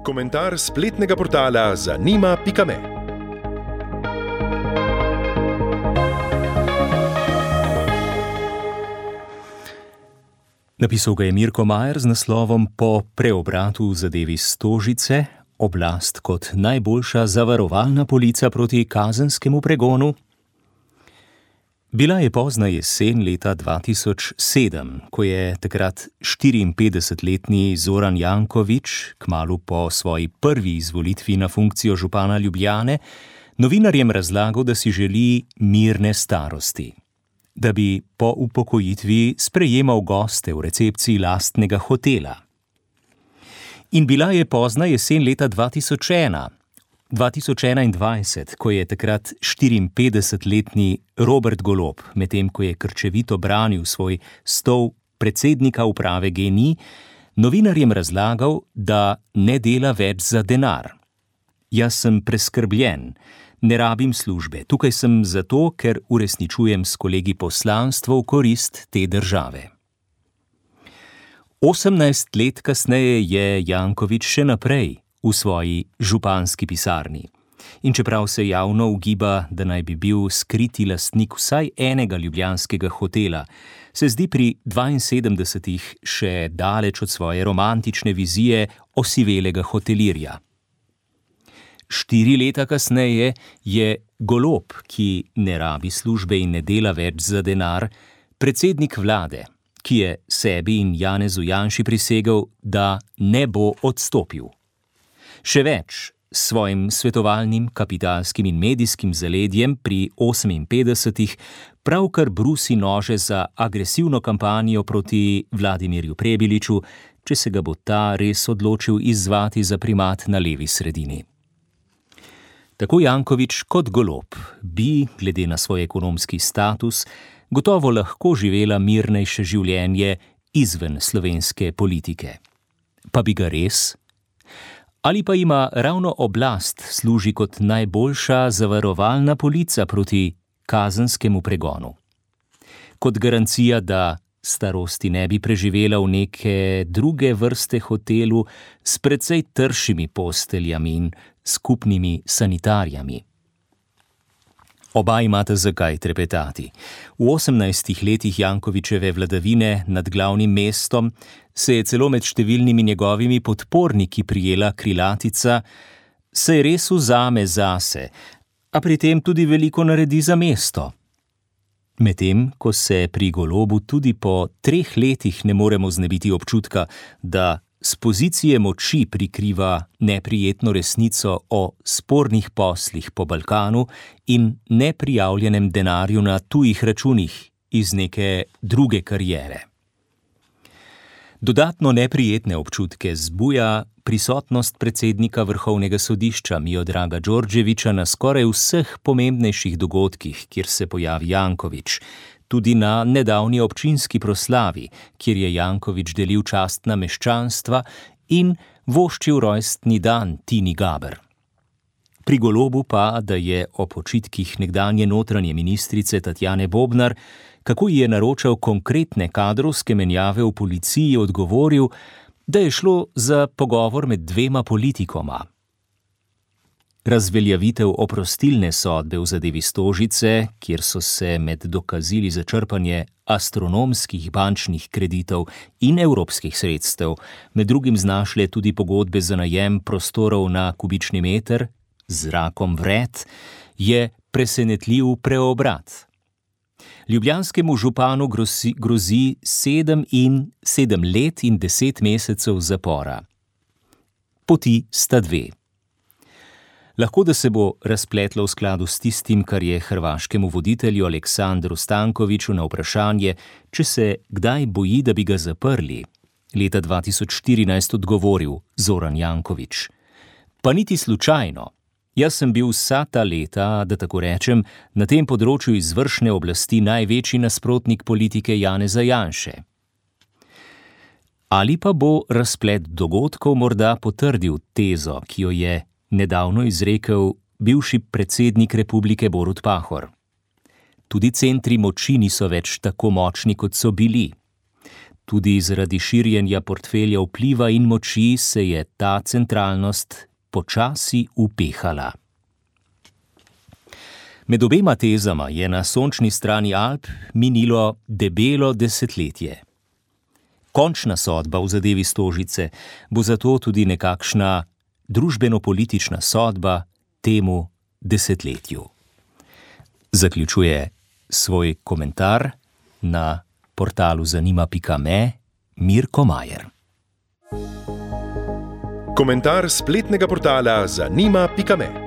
Komentar spletnega portala zanima.me. Napisal ga je Mirko Majer z naslovom Po preobratu v zadevi Stožice, oblast kot najboljša zavarovalna polica proti kazenskemu pregonu. Bila je pozna jesen leta 2007, ko je takrat 54-letni Zoran Janković, kmalu po svoji prvi izvolitvi na funkcijo župana Ljubljane, novinarjem razlagal, da si želi mirne starosti, da bi po upokojitvi sprejemal goste v recepciji lastnega hotela. In bila je pozna jesen leta 2021, ko je takrat 54-letni Robert Golob, medtem ko je krčevito branil svoj stol predsednika uprave GEN-I, novinarjem razlagal, da ne dela več za denar. Jaz sem preskrbljen, ne rabim službe, tukaj sem zato, ker uresničujem s kolegi poslanstvo v korist te države. 18 let kasneje je Janković še naprej v svoji županski pisarni. In čeprav se javno ugiba, da naj bi bil skriti lastnik vsaj enega ljubljanskega hotela, se zdi pri 72 še daleč od svoje romantične vizije osivelega hotelirja. 4 leta kasneje je Golob, ki ne rabi službe in ne dela več za denar, predsednik vlade, ki je sebi in Janezu Janši prisegel, da ne bo odstopil. Še več, s svojim svetovalnim, kapitalskim in medijskim zaledjem pri 58 pravkar brusi nože za agresivno kampanjo proti Vladimirju Prebiliču, če se ga bo ta res odločil izzvati za primat na levi sredini. Tako Janković kot Golob bi, glede na svoj ekonomski status, gotovo lahko živela mirnejše življenje izven slovenske politike. Pa bi ga res? Ali pa ima ravno oblast služi kot najboljša zavarovalna polica proti kazenskemu pregonu? Kot garancija, da starosti ne bi preživela v neke druge vrste hotelu s precej tršimi posteljami in skupnimi sanitarjami. Oba imata zakaj trepetati. V 18 letih Jankovićeve vladavine nad glavnim mestom se je celo med številnimi njegovimi podporniki prijela krilatica "Se res vzame zase, a pri tem tudi veliko naredi za mesto". Medtem, ko se pri Golobu tudi po 3 letih ne moremo znebiti občutka, da s pozicije moči prikriva neprijetno resnico o spornih poslih po Balkanu in neprijavljenem denarju na tujih računih iz neke druge kariere. Dodatno neprijetne občutke zbuja prisotnost predsednika Vrhovnega sodišča Miodraga Đorđevića na skoraj vseh pomembnejših dogodkih, kjer se pojavi Janković, tudi na nedavni občinski proslavi, kjer je Janković delil častna meščanstva in voščil rojstni dan Tini Gaber. Pri Golobu pa, da je o počitkih nekdanje notranje ministrice Tatjane Bobnar, kako ji je naročal konkretne kadrovske menjave v policiji, odgovoril, da je šlo za pogovor med 2 politikoma. Razveljavitev oprostilne sodbe v zadevi Stožice, kjer so se med dokazili za črpanje astronomskih bančnih kreditov in evropskih sredstev, med drugim znašle tudi pogodbe za najem prostorov na kubični meter, z zrakom vred, je presenetljiv preobrat. Ljubljanskemu županu grozi 7 let in 10 mesecev zapora. Poti sta 2. Lahko da se bo razpletlo v skladu s tistim, kar je hrvaškemu voditelju Aleksandru Stankoviću na vprašanje, če se kdaj boji, da bi ga zaprli, leta 2014 odgovoril Zoran Janković. Pa niti slučajno. Jaz sem bil vsa ta leta, da tako rečem, na tem področju izvršne oblasti največji nasprotnik politike Janeza Janše. Ali pa bo razplet dogodkov morda potrdil tezo, ki jo je nedavno izrekel bivši predsednik republike Borut Pahor. Tudi centri moči niso več tako močni, kot so bili. Tudi zaradi širjenja portfelja vpliva in moči se je ta centralnost počasi upehala. Med obema tezama je na sončni strani Alp minilo debelo desetletje. Končna sodba v zadevi Stožice bo zato tudi nekakšna družbeno-politična sodba temu desetletju. Zaključuje svoj komentar na portalu zanima.me Mirko Majer. Komentar spletnega portala zanima.me